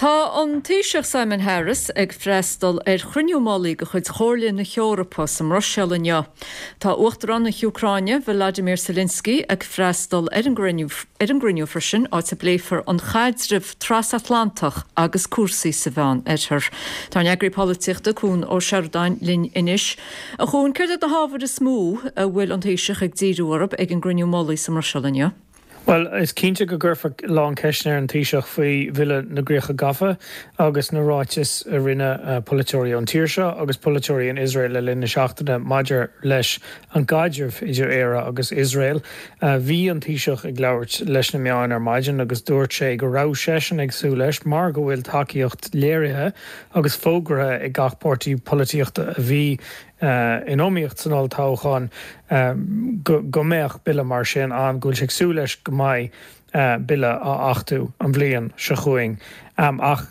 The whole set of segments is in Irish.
Tá an Taoiseach Simon Harris ag freastal ar chruinniú mullaigh de chuid Chomhairle na hEorpa sa mBruiséil inniu. Tá Uachtarán na hÚcráine, Volodymyr Zelensky, ag freastal ar an gcruinniú freisin, áit a bpléifear an caidreamh trasatlantach agus cúrsaí sa Mheán Oirthear. Tá ár n-eagraí polaitíochta, Cuan Ó Seireadáin, linn anois. A Chuain, céard iad na hábhair is mó a bhfuil an Taoiseach ag díriú orthu ag an gcruinniú mullaigh sa mBruiséil inniu? Bhuel, is cinnte go gcuirfear a lán ceisteanna ar an Taoiseach faoi Bhille na gCríocha Gafa agus na ráitis a rinne polaiteoirí ón tír seo agus polaiteoirí in Iosrael le linn na seachtaine maidir leis an gcaidreamh idir Éire agus Iosrael. Bhí an Taoiseach ag labhairt leis na meáin ar maidin agus dúirt sé go raibh seisean ag súil leis, mar go bhfuil tacaíocht léirithe agus fógartha ag gach páirtí polaitíochta a bhí in iomaíocht san olltoghchán go mbeadh bille mar sin ann, go bhfuil sé ag súil leis go mbeidh bille á achtú an bhliain seo chugainn. Ach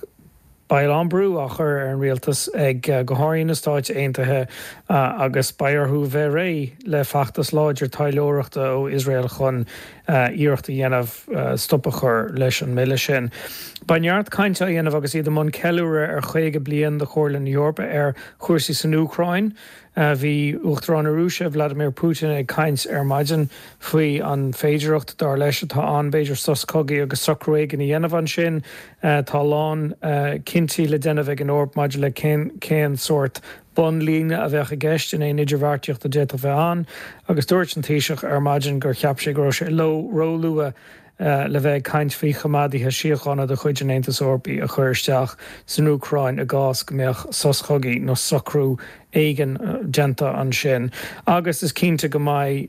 beidh a lán brú á chur ar an rialtas ag, go háirithe na Stáit Aontaithe, agus beidh orthu bheith réidh le feachtas láidir taidhleoireachta ó Iosrael chun iarracht a dhéanamh stop a chur leis an mbille sin. Beidh neart cainte á dhéanamh agus iad i mbun ceiliúradh ar 50 bliain de Chomhairle na hEorpa ar chúrsaí san Úcráin. Bhí Uachtarán na Rúise, Vladimir Putin, ag caint ar maidin faoi an féidearthacht, dar leis, atá ann b'fhéidir sos cogaidh agus socrú éigin a dhéanamh ansin. Tá a lán cinntí le déanamh ag an Eoraip maidir le cén sórt bunlíne a bheadh i gceist in aon idirbheartaíocht a d'fhéadfadh bheith ann agus dúirt an Taoiseach ar maidin gur cheap sé go raibh sé róluath le bheith ag caint faoi choimeádaithe síochána de chuid an Aontais Eorpaigh a chur isteach san Úcráin i gcás go mbeadh sos cogaidh nó socrú éigin déanta ansin. Agus is cinnte go mbeidh,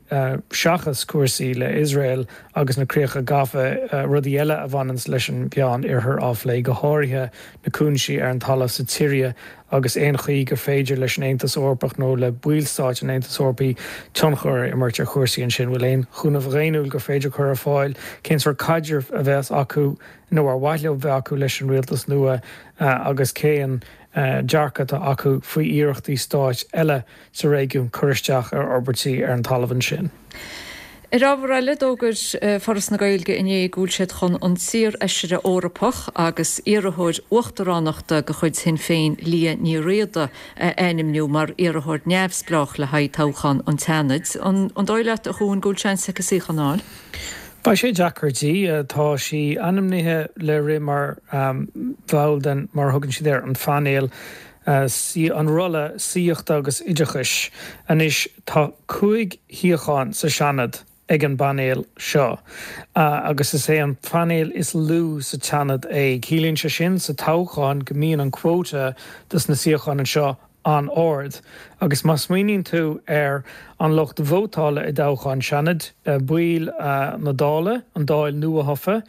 seachas cúrsaí le Iosrael agus na críocha gafa, rudaí eile a bhaineanns leis an Mheán Oirthear á phlé, go háirithe na cúinsí ar an talamh sa tSiria agus aon chaoi gur féidir leis an Aontas Eorpach nó le ballstáit an Aontais Eorpaigh tionchar a imirt ar chúrsaí ansin. Bhfuil aon chúnamh dhaonnúil gur féidir cur ar fáil? Cén sórt caidrimh a bheas acu nó ar mhaith leo bheith acu leis an rialtas nua agus cén dearcadh atá acu faoi iarrachtaí stáit eile sa réigiún cur isteach ar fhorbairtí ar an talamh ansin. Ar ábhar eile, d'fhógair Foras na Gaeilge inné go bhfuil siad chun an t-iar-fheisire Eorpach agus iarrthóir uachtaránachta de chuid Shinn Féin Liadh Ní Riada a ainmniú mar iarrthóir neamhspleách le haghaidh toghchán an tSeanaid. An dóigh leat, a Chuain, go bhfuil seans aici suíochán a fháil? Beidh sé deacair di. Tá sí ainmnithe le rith mar bhall den, mar a thugann siad air, an phainéal an rolla saíochta agus oideachais. Anois tá 5 shuíochán sa Seanad ag an bpainéal seo agus is é an painéal is lú sa tSeanad é. Ciallaíonn sé sin sa toghchán go mbíonn an quota dos na suíocháin anseo an-ard agus má smaoiníonn tú ar an lucht vótála i dtoghchán Seanaid, baill na Dála, an Dáil nuathofa,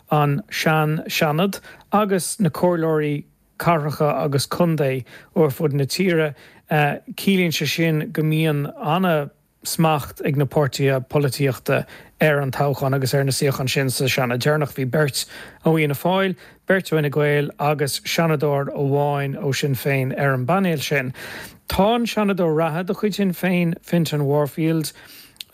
an sean-Seanad agus na comhairleoirí cathracha agus contae ar fud na tíre. Ciallaíonn sé sin go mbíonn an-smacht ag na páirtithe polaitíochta ar an toghchán agus ar na suíocháin sin sa Seanad deireanach. Bhí beirt ó Fhianna Fáil, beirt ó Fhine Gael agus Seanadóir amháin ó Sinn Féin ar an bpainéal sin. Tá an Seanadóir reatha de chuid Shinn Féin, Fintan Warfield,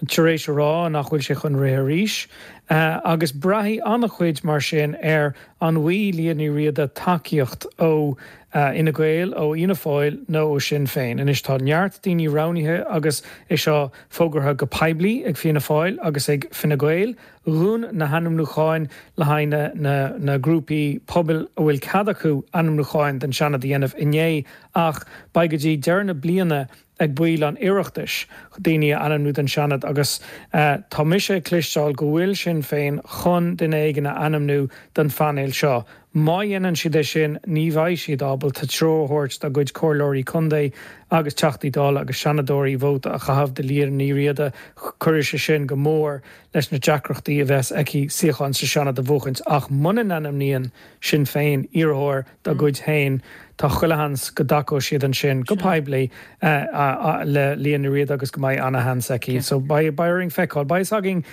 tar éis a rá nach bhfuil sé chun rith arís agus braithfidh an-chuid mar sin ar an bhfaighidh Liadh Ní Riada tacaíocht ó Fhine Gael, ó Fhianna Fáil nó ó Shinn Féin. Anois tá neart daoine roghnaithe agus é seo fógartha go poiblí ag Fianna Fáil agus ag Fine Gael. Dhún na hainmniúcháin le haghaidh na na grúpaí pobail a bhfuil cead acu ainmniúcháin don Seanad a dhéanamh inné ach beidh go dtí deireadh na bliana ag baill an Oireachtais daoine a ainmniú don Seanad agus tá mise ag cloisteáil go bhfuil Sinn Féin chun duine éigin a ainmniú don phainéal seo. Má dhéanann siad é sin ní bheidh siad ábalta treoir a thabhairt dá gcuid comhairleoirí contae agus Teachtaí Dála agus Seanadóirí vóta a chaitheamh do Liadh Ní Riada. Cuirfidh sé sin go mór leis na deacrachtaí a bheas aici suíochán sa Seanad a bhuachaint ach muna n-ainmníonn Sinn Féin iarrthóir dá gcuid féin, tá chuile sheans go dtacóidh siad ansin go poiblí le Liadh Ní Riada agus go mbeidh ana-sheans aici. So beidh orainn feiceáil. Beidh fhios againn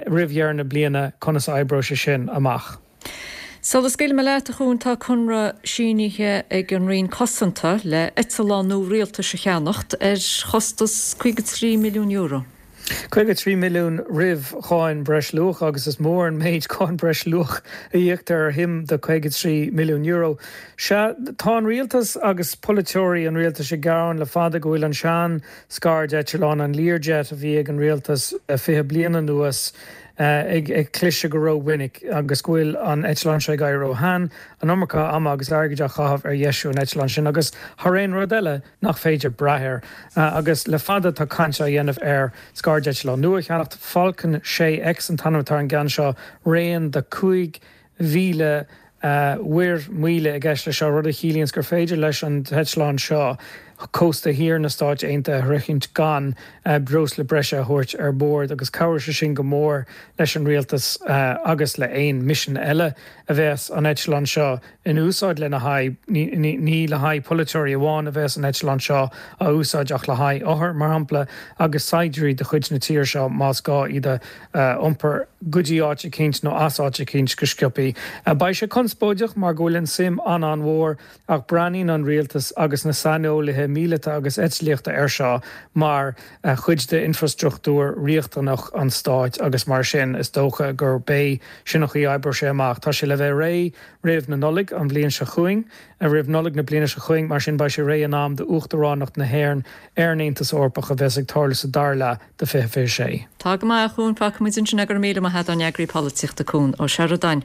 roimh dheireadh na bliana conas a oibreoidh sé sin amach. Sula scaoilfidh mé leat, a Chuain, tá conradh sínithe ag an Roinn Cosanta le eitleán nua rialtais a cheannacht ar chostas €53 milliún. 53 milliún roimh cháin breisluacha agus is mór an méid cáin breisluach a íoctar ar shuim de €53 milliún. Sea, tá an rialtas agus polaiteoirí an rialtais ag gearán le fada go bhfuil an sean scairdeitleán, an Learjet a bhí ag an rialtas le 20 bliain anuas, ag cliseadh go rómhinic agus go bhfuil an eitleán seo ag éirí ró-shean, an iomarca ama agus airgid á chaitheamh ar dheisiú an eitleáin sin agus, thar aon rud eile, nach féidir brath air. Agus le fada tá caint á dhéanamh ar scairdeitleán nua a cheannacht, Falcon 6X an t-ainm atá ar an gceann seo, raon de 5,000 mhuir míle i gceist leis seo, rud a chiallaíonns gur féidir leis an t-eitleán seo cósta thiar na Stáit Aontaithe a shroichint gan breosla breise a thabhairt ar bord agus cabhróidh sé sin go mór leis an rialtas agus le haon misean eile a bheas an eitleán seo in úsáid lena haghaidh. Ní le haghaidh polaiteoirí amháin a bheas an eitleán seo á úsáid ach le haghaidh othair, mar shampla, agus saighdiúirí de chuid na tíre seo más gá iad a iompar go dtí áit eicínt nó as áit eicínt go sciobthaí. Beidh sé conspóideach mar go bhfuil an suim an-an-mhór ach breathnaíonn an rialtas agus na saineolaithe míleata agus eitlíochta air seo mar chuid d'infrastruchtúr riachtanach an stáit agus mar sin is dócha gurb é sin an chaoi a oibreoidh sé amach. Tá sé le bheith réidh roimh na Nollaig an bhliain seo chugainn, roimh Nollaig na bliana seo chugainn, mar sin beidh sé réidh in am d'Uachtaránacht na hÉireann ar an Aontas Eorpach a bheas ag tarlú sa dara leath de 2026. Tá go maith, a Chuain, fágfaimid ansin é, go raibh míle maith agat ár n-eagraí polaitíochta Cuan Ó Seireadáin.